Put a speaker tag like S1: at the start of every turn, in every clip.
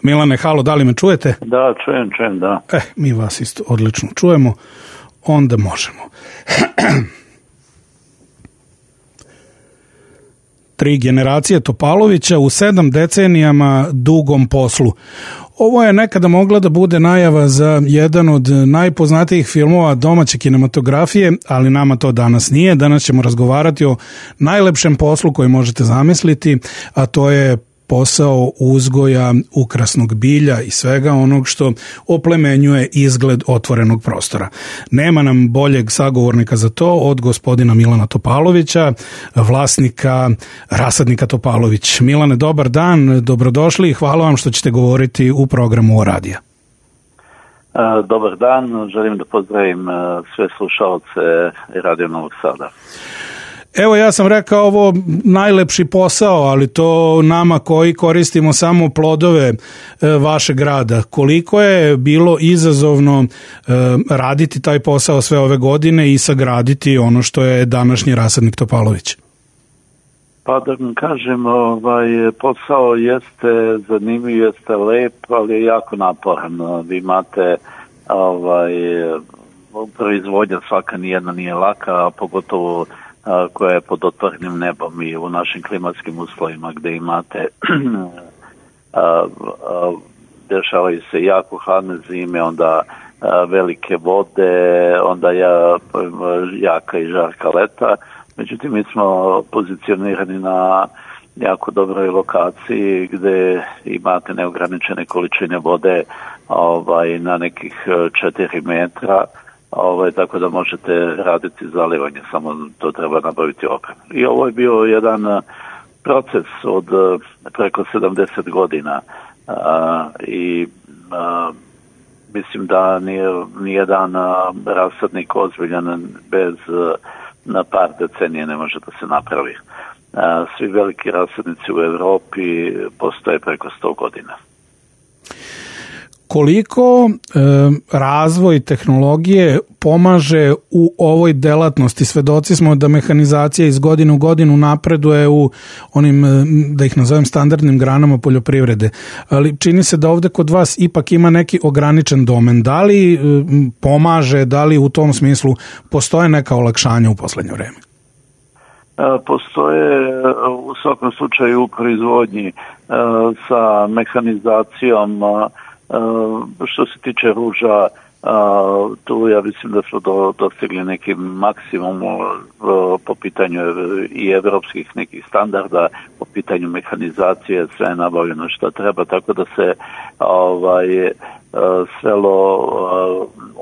S1: Milane, halo, da li me čujete?
S2: Da, čujem, da.
S1: Mi vas isto odlično čujemo, onda možemo. 3 generacije Topalovića u 7 decenijama dugom poslu. Ovo je nekada mogla da bude najava za jedan od najpoznatijih filmova domaće kinematografije, ali nama to danas nije. Danas ćemo razgovarati o najlepšem poslu koji možete zamisliti, a to je posao uzgoja ukrasnog bilja i svega onog što oplemenjuje izgled otvorenog prostora. Nema nam boljeg sagovornika za to od gospodina Milana Topalovića, vlasnika rasadnika Topalović. Milane, dobar dan, dobrodošli i hvala vam što ćete govoriti u programu O radija.
S2: Dobar dan, želim da pozdravim sve slušalce Radio Novog Sada.
S1: Evo, ja sam rekao ovo najlepši posao, ali to nama koji koristimo samo plodove vašeg rada. Koliko je bilo izazovno raditi taj posao sve ove godine i sagraditi ono što je današnji rasadnik Topalović?
S2: Pa da vam kažem, posao jeste zanimljiv, jeste lep, ali je jako naporan. Vi imate proizvodnja svaka nijedna nije laka, a pogotovo koja je pod otvorenim nebom i u našim klimatskim uslovima gdje imate dešavaju se jako hladne zime, onda velike vode, onda jaka i žarka leta. Međutim, mi smo pozicionirani na jako dobroj lokaciji gdje imate neograničene količine vode na nekih 4 metra. Tako da možete raditi zalivanje, samo to treba nabaviti opremu. I ovo je bio jedan proces od preko 70 godina i mislim da nijedan rasadnik ozbiljan bez par decenije ne može da se napravi. Svi veliki rasadnici u Europi postoje preko 100 godina.
S1: Koliko razvoj tehnologije pomaže u ovoj delatnosti? Svedoci smo da mehanizacija iz godine u godinu napreduje u onim, da ih nazovem, standardnim granama poljoprivrede. Ali čini se da ovdje kod vas ipak ima neki ograničen domen. Da li pomaže, da li u tom smislu postoje neka olakšanja u poslednje vreme?
S2: Postoje u svakom slučaju u proizvodnji sa mehanizacijom. Što se tiče ruža, tu ja mislim da smo dostigli neki maksimum po pitanju i evropskih nekih standarda, po pitanju mehanizacije, sve je nabavljeno što treba, tako da se svelo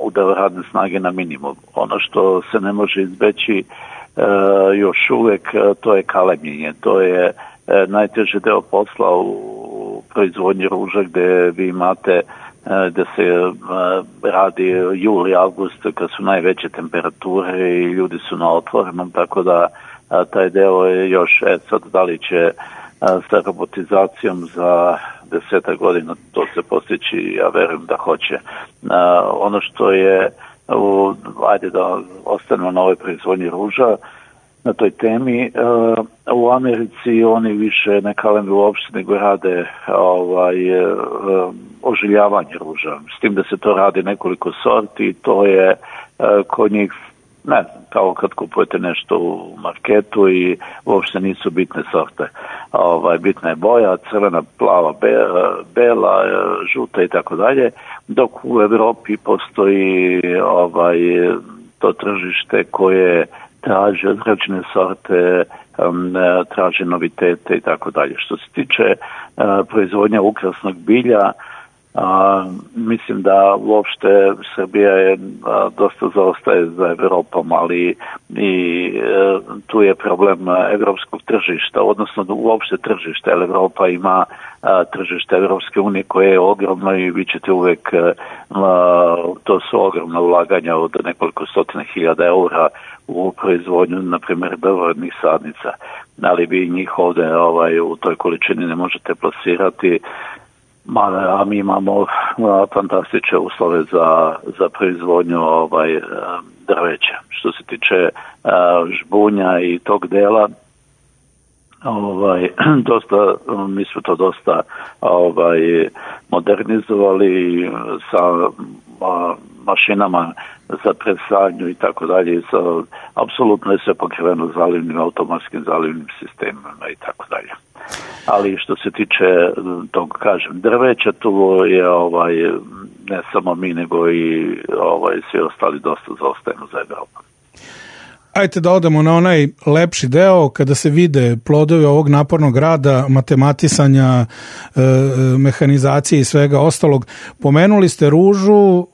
S2: udeo radne snage na minimum. Ono što se ne može izbeći još uvijek, to je kalemljenje, to je najteži deo posla u proizvodnji ruža gdje vi imate da se radi juli, avgust kad su najveće temperature i ljudi su na otvorenom, tako da taj deo je još sad da li će sa robotizacijom za 10 godina to se postići, ja verujem da hoće. Ono što je, ajde da ostanemo na ovoj proizvodnji ruža, na toj temi, u Americi oni više ne kaleme uopšte nego rade ožiljavanje ruža. S tim da se to radi nekoliko sorti, to je kod njih, ne znam, kao kad kupujete nešto u marketu i uopšte nisu bitne sorte. Bitna je boja, crvena, plava, bela, žuta i tako dalje, dok u Europi postoji to tržište koje traži određene sorte, traži novitete i tako dalje. Što se tiče proizvodnja ukrasnog bilja, mislim da uopšte Srbija je dosta zaostaje za Evropom, ali i tu je problem evropskog tržišta, odnosno uopšte tržišta, jer Evropa ima tržište Evropske unije koje je ogromno i vi ćete uvek, to su ogromna ulaganja od nekoliko stotina hiljada eura u proizvodnju, na primjer, belorodnih sadnica, ali vi njih ovdje u toj količini ne možete plasirati, a mi imamo fantastične uslove za proizvodnju drveća. Što se tiče žbunja i tog dela, mi smo to dosta modernizovali sa mašinama za presadnju i tako dalje. Apsolutno je sve pokriveno automatskim zalivnim sistemima i tako dalje. Ali što se tiče tog, kažem, drveća, tu je ne samo mi, nego i svi ostali dosta zaostajemo za Evropom.
S1: Ajde da odemo na onaj lepši deo kada se vide plodovi ovog napornog rada, matematisanja, mehanizacije i svega ostalog. Pomenuli ste ružu,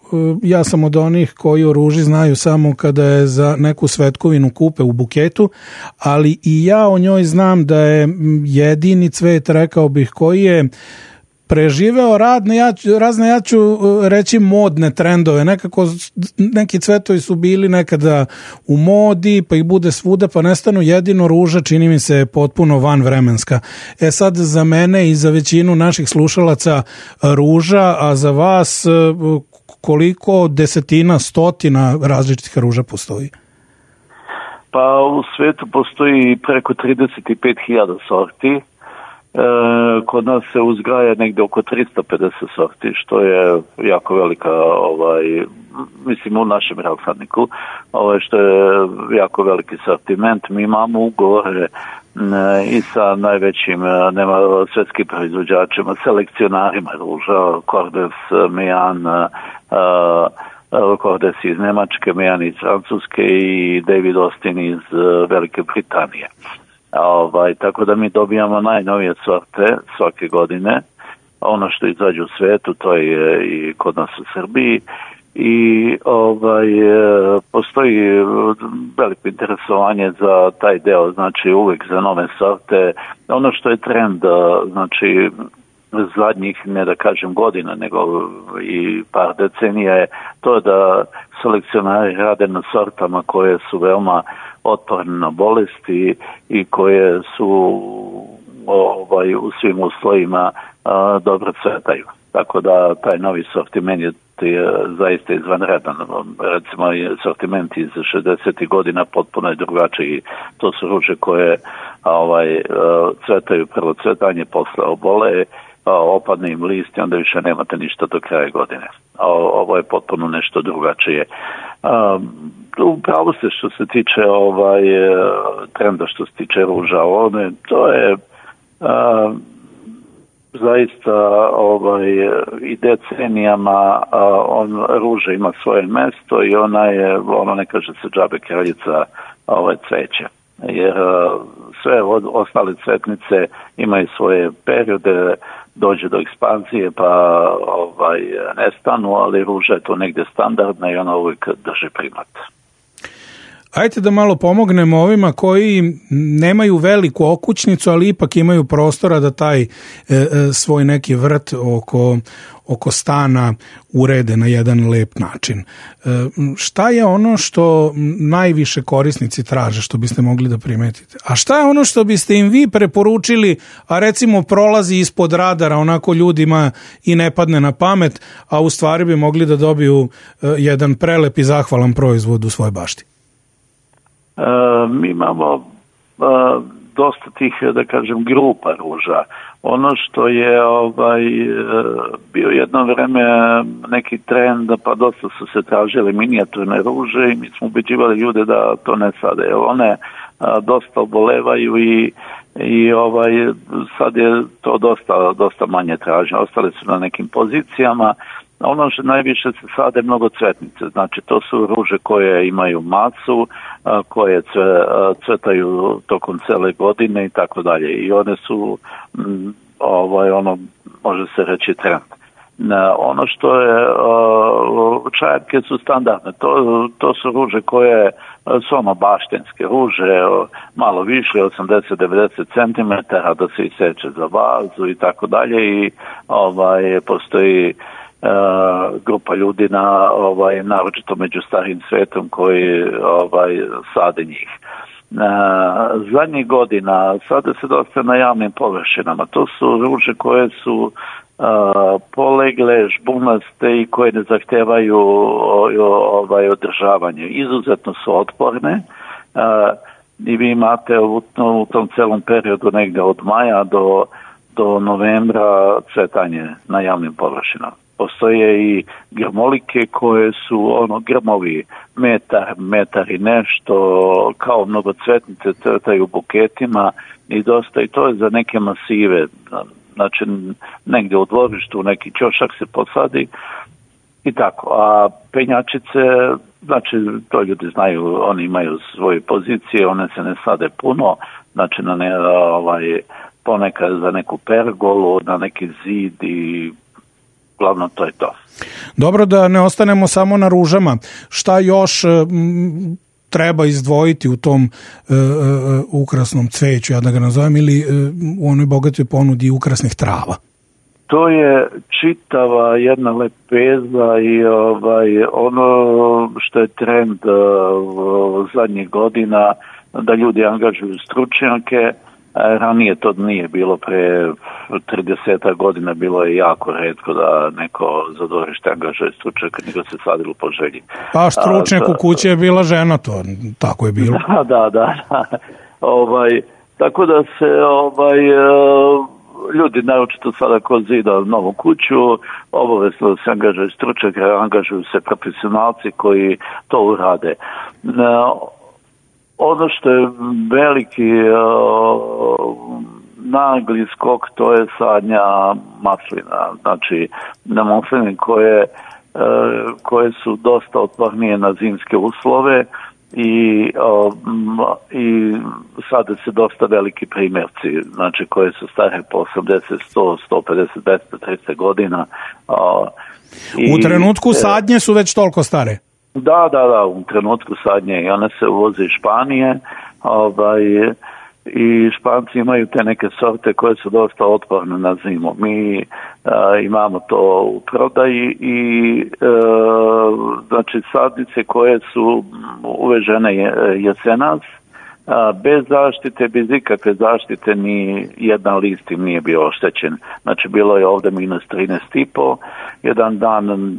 S1: ja sam od onih koji o ruži znaju samo kada je za neku svetkovinu kupe u buketu, ali i ja o njoj znam da je jedini cvet, rekao bih, koji je preživeo razne, ja ću reći, modne trendove. Neki cvetovi su bili nekada u modi, pa ih bude svuda, pa nestanu. Jedino ruža, čini mi se, potpuno vanvremenska. Sad za mene i za većinu naših slušalaca ruža, a za vas koliko desetina, stotina različitih ruža postoji?
S2: Pa u svetu postoji preko 35.000 sorti. Kod nas se uzgaja negdje oko 350 sorti, što je jako velika, mislim u našem rasadniku, što je jako veliki sortiment. Mi imamo ugovore i sa najvećim svjetskim proizvođačima, selekcionarima ruža, Cordes, Mejan, Cordes iz Njemačke, Mejan iz Francuske i David Austin iz Velike Britanije. Tako da mi dobijamo najnovije sorte svake godine. Ono što izađe u svetu, to je i kod nas u Srbiji. I postoji veliko interesovanje za taj deo, znači uvijek za nove sorte. Ono što je trend, znači zadnjih, ne da kažem godina, nego i par decenija, je to da selekcionari rade na sortama koje su veoma otporne na bolesti i koje su u svim uslovima dobro cvetaju. Tako da taj novi sortiment je zaista izvanredan. Recimo, sortiment iz 60. godina potpuno je drugačiji. To su ruže koje cvetaju prvo cvetanje, posle obole, opadne im list i onda više nemate ništa do kraja godine. Ovo je potpuno nešto drugačije. Upravo se što se tiče trenda što se tiče ruža, to je zaista i decenijama ruža ima svoje mesto i ona je, ne kaže se džabe kraljica cveća. Jer sve ostale cvetnice imaju svoje periode, dođe do ekspanzije pa nestanu, ali ruža je to negdje standardna i ona uvijek drži primat.
S1: Ajde da malo pomognemo ovima koji nemaju veliku okućnicu, ali ipak imaju prostora da taj svoj neki vrt oko stana urede na jedan lep način. Šta je ono što najviše korisnici traže, što biste mogli da primetite? A šta je ono što biste im vi preporučili, a recimo prolazi ispod radara, onako ljudima i ne padne na pamet, a u stvari bi mogli da dobiju jedan prelep i zahvalan proizvod u svojoj bašti?
S2: Mi imamo dosta tih, da kažem, grupa ruža. Ono što je bio jedno vreme neki trend, pa dosta su se tražile minijaturne ruže i mi smo ubeđivali ljude da to ne sade, jer one dosta obolevaju i sad je to dosta manje traženo. Ostale su na nekim pozicijama. Ono što najviše se sade mnogo cvetnice, znači to su ruže koje imaju masu, koje cvetaju tokom cele godine i tako dalje. I one su, može se reći, trend. Ono što je, čajarke su standardne, to su ruže koje su baštenske ruže, malo više, 80-90 cm, da se iseče za vazu i tako dalje i postoji grupa ljudi naročito među starim svetom koji sade njih. Zadnjih godina sade se dosta na javnim površinama. To su ruže koje su polegle, žbunaste i koje ne zahtevaju održavanje. Izuzetno su otporne. i vi imate u tom celom periodu negde od maja do novembra cvetanje na javnim površinama. Postoje i grmolike koje su grmovi metar i nešto, kao mnogocvetnice cvetaju u buketima i dosta, i to je za neke masive, znači negdje u dvorištu neki ćošak se posadi i tako. A penjačice, znači to ljudi znaju, oni imaju svoje pozicije, one se ne sade puno, znači ponekad za neku pergolu, na neki zid i glavno to je to.
S1: Dobro, da ne ostanemo samo na ružama. Šta još treba izdvojiti u tom ukrasnom cveću, ja da ga nazovem, ili u onoj bogatoj ponudi ukrasnih trava?
S2: To je čitava jedna lepeza i ono što je trend zadnjih godina, da ljudi angažuju stručnjake. Ranije to nije bilo, pre 30 godina bilo je jako retko da neko za dvorište angažuje stručnjaka, nego se sadilo po želji.
S1: Pa stručnjak u kući je bila žena, to tako je bilo.
S2: Da. Tako da se ljudi, naročito sada ko zida novu kuću, obavezno da se angažuje stručnjak, angažuju se profesionalci koji to urade. Ono što je veliki nagli skok, to je sadnja maslina. Znači, na masline koje su dosta otpornije na zimske uslove i sade se dosta veliki primjerci, znači koje su stare po 80, 100, 150, 200, 300 godina. U
S1: trenutku sadnje su već toliko stare?
S2: Da, u trenutku sadnje i one se uvoze iz Španije, i Španci imaju te neke sorte koje su dosta otporne na zimu. Mi imamo to u prodaji i znači sadnice koje su uvežene jesenas, bez zaštite, bez ikakve zaštite, ni jedan list im nije bio oštećen. Znači bilo je ovdje minus 13,5, jedan dan,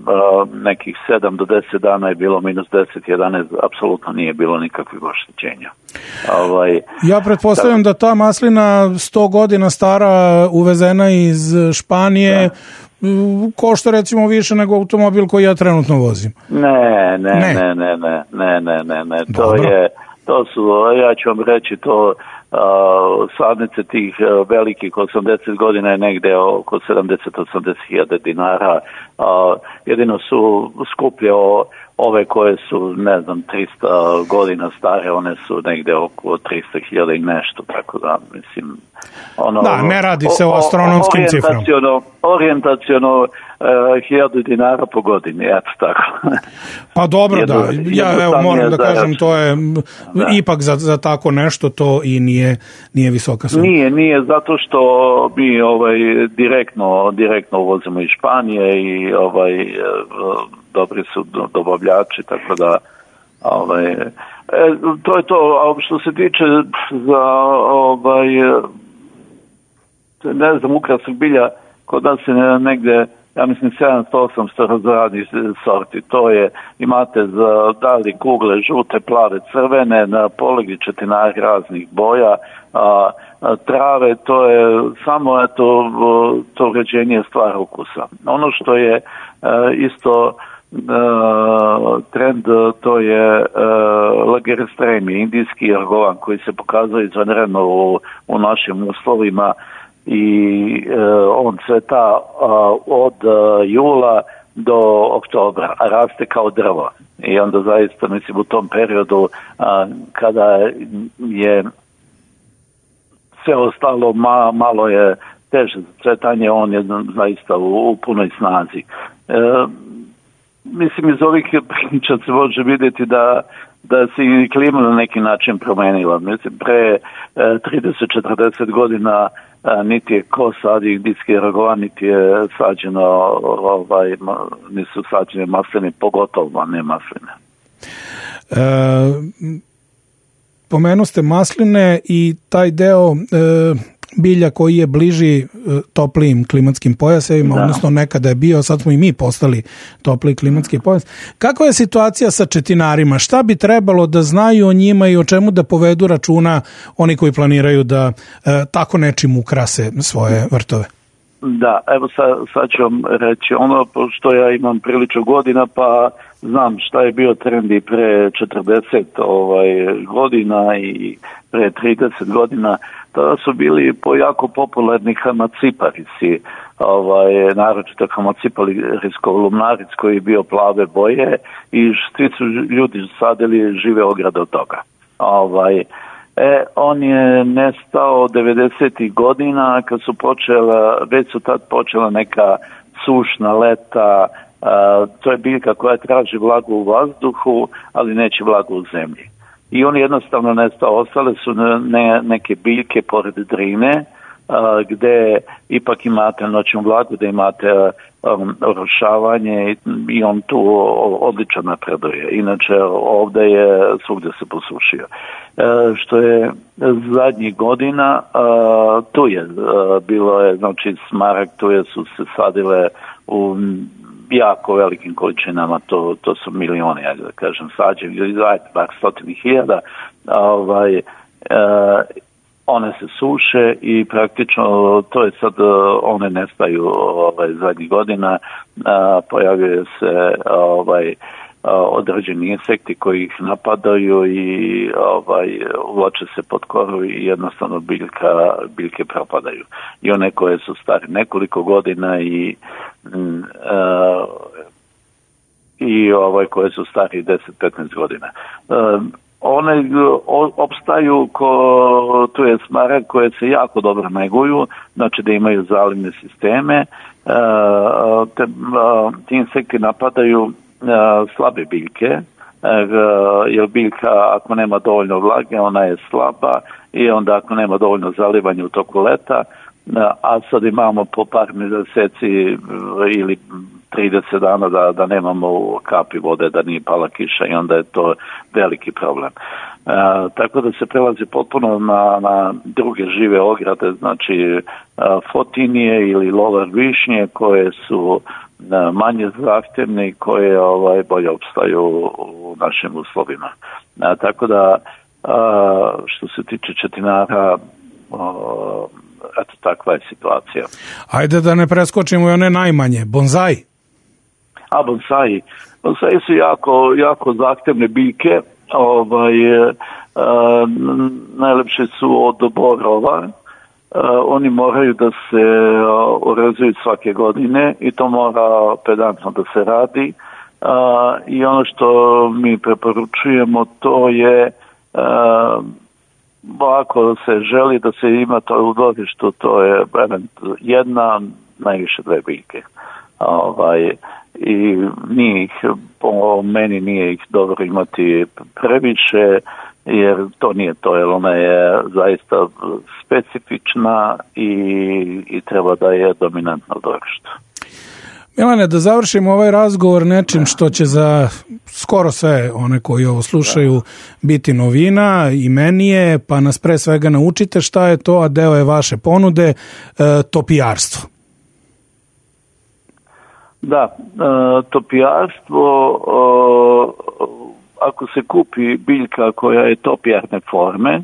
S2: nekih 7 do 10 dana je bilo minus 10, 11, apsolutno nije bilo nikakvih oštećenja.
S1: Ja pretpostavljam da ta maslina 100 godina stara, uvezena iz Španije, košta recimo više nego automobil koji ja trenutno vozim.
S2: Ne. To su, ja ću vam reći, to sadnice tih velikih 80 godina je negde oko 70-80 hiljada dinara. Jedino su skuplje ove koje su, 300 godina stare, one su negde oko 300 hiljada i nešto, tako da, mislim...
S1: ne radi se o astronomskim ciframa.
S2: Orijentaciono 1000 dinara po godini, eto tako.
S1: Pa dobro, ja moram da kažem, to je ipak za tako nešto, to i nije visoka suma.
S2: Nije, zato što mi direktno uvozimo iz Španije i dobri su dobavljači, tako da to je to. A što se tiče za ukrasnog bilja, kod nas je negde, ja mislim 700-800 razradnih sorti. To je, imate za dali kugle, žute, plave, crvene, na polegli četinari raznih boja, trave, to je samo to uređenje stvara ukusa. Ono što je isto trend, to je lagerestremi, indijski argovan, koji se pokazuje izvanredno u našim uslovima i on cveta od jula do oktobra, a raste kao drvo. I onda zaista, mislim, u tom periodu kada je sve ostalo malo je teže za cvetanje, on je zaista u punoj snazi. Mislim, iz ovih priča se može vidjeti da se i klima na neki način promenila. Mislim, pre 30-40 godina niti je ko sadi indijski argovan, niti je sađeno, nisu sađene masline, pogotovo ne masline.
S1: Pomenu ste masline i taj deo bilja koji je bliži toplijim klimatskim pojasevima, odnosno nekada je bio, sad smo i mi postali topliji klimatski pojas. Kakva je situacija sa četinarima? Šta bi trebalo da znaju o njima i o čemu da povedu računa oni koji planiraju da tako nečim ukrase svoje vrtove?
S2: Da, evo sad ću vam reći ono, pošto ja imam prilično godina, pa znam šta je bio trend i pre 40 godina i pre 30 godina. Tada su bili jako popularni hamaciparisi, naročito hamaciparisko-lumnaric koji je bio plave boje i svi su ljudi sadili žive ograde od toga. On je nestao 90. godina kad su već su tad počela neka sušna leta. To je biljka koja traži vlagu u vazduhu, ali neće vlagu u zemlji. I on jednostavno nestao. Ostale su neke biljke pored Drine, gde ipak imate noćnu vlagu, gde imate orošavanje i on tu odlično napreduje. Inače, ovdje je svugdje se posušio. Što je zadnjih godina, tu je bilo je, znači smarag, su se sadile u jako velikim količinama, to su milioni, ajde da kažem, sađeni, ili bar 100.000, one se suše i praktično to je sad, one nestaju zadnjih godina, pojavljaju se određeni insekti koji ih napadaju i uvlače se pod koru i jednostavno biljke propadaju. I one koje su stare nekoliko godina i koje su stari 10-15 godina. One opstaju tu je smarag koje se jako dobro neguju, znači da imaju zalivne sisteme. Ti insekti napadaju slabe biljke, jer biljka ako nema dovoljno vlage ona je slaba i onda ako nema dovoljno zalivanja u toku leta, a sad imamo po par mjeseci ili 30 dana da nemamo kapi vode, da nije pala kiša i onda je to veliki problem. Tako da se prelazi potpuno na druge žive ograde, znači fotinije ili lovar višnje koje su manje zahtjevne i koje bolje opstaju u našim uslovima. Tako da što se tiče četinara, eto takva je situacija.
S1: Ajde da ne preskočimo i one najmanje, bonzai.
S2: Bonzai su jako zahtjevne biljke, najlepše su od borova. Oni moraju da se orezuju svake godine i to mora pedantno da se radi. I ono što mi preporučujemo to je ako se želi da se ima to u dvorištu, to je jedna, najviše dve biljke. I po meni nije ih dobro imati previše, jer to nije to, jer ona je zaista specifična i treba da je dominantna u dvorištu.
S1: Milane, da završimo ovaj razgovor nečim što će za skoro sve one koji ovo slušaju biti novina i meni je, pa nas pre svega naučite šta je to, a deo je vaše ponude, topijarstvo.
S2: Da, topijarstvo, ako se kupi biljka koja je topijarne forme,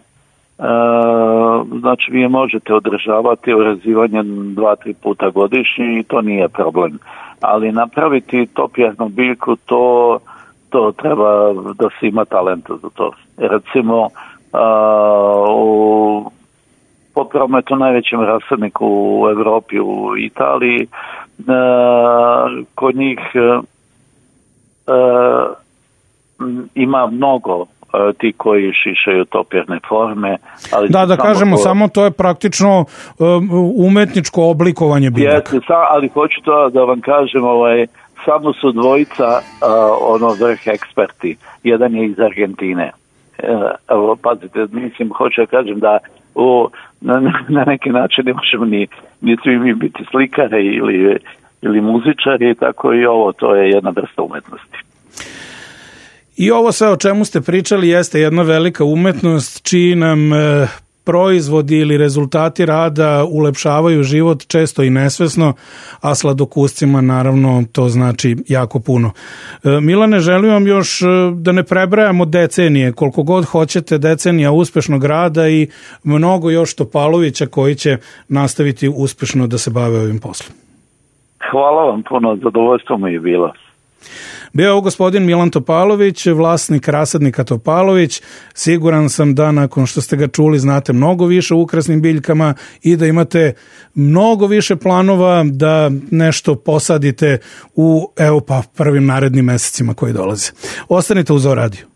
S2: znači vi je možete održavati orezivanje 2-3 puta godišnje i to nije problem. Ali napraviti topijarnu biljku, to treba da se ima talenta za to. Recimo, po prometu najvećem rasadniku u Evropi, u Italiji, kod njih ima mnogo ti koji šišaju topirne forme. Ali
S1: da kažemo, samo to je praktično umetničko oblikovanje biljaka.
S2: Ali hoću to da vam kažem, samo su dvojica vrh eksperti. Jedan je iz Argentine. Evo, pazite, mislim, hoću da kažem da na neki način ne možemo ni svi mi biti slikare ili muzičari, tako i ovo, to je jedna vrsta umetnosti.
S1: I ovo sve o čemu ste pričali jeste jedna velika umetnost čiji nam proizvodi ili rezultati rada ulepšavaju život često i nesvesno, a sladokuscima naravno to znači jako puno. Milane, želim vam još da ne prebrajamo decenije, koliko god hoćete decenija uspešnog rada i mnogo još Topalovića koji će nastaviti uspešno da se bave ovim poslom.
S2: Hvala vam puno, zadovoljstvo mi je bilo.
S1: Bio je ovo gospodin Milan Topalović, vlasnik rasadnika Topalović. Siguran sam da nakon što ste ga čuli znate mnogo više o ukrasnim biljkama i da imate mnogo više planova da nešto posadite u prvim narednim mesecima koji dolaze. Ostanite uz O Radio.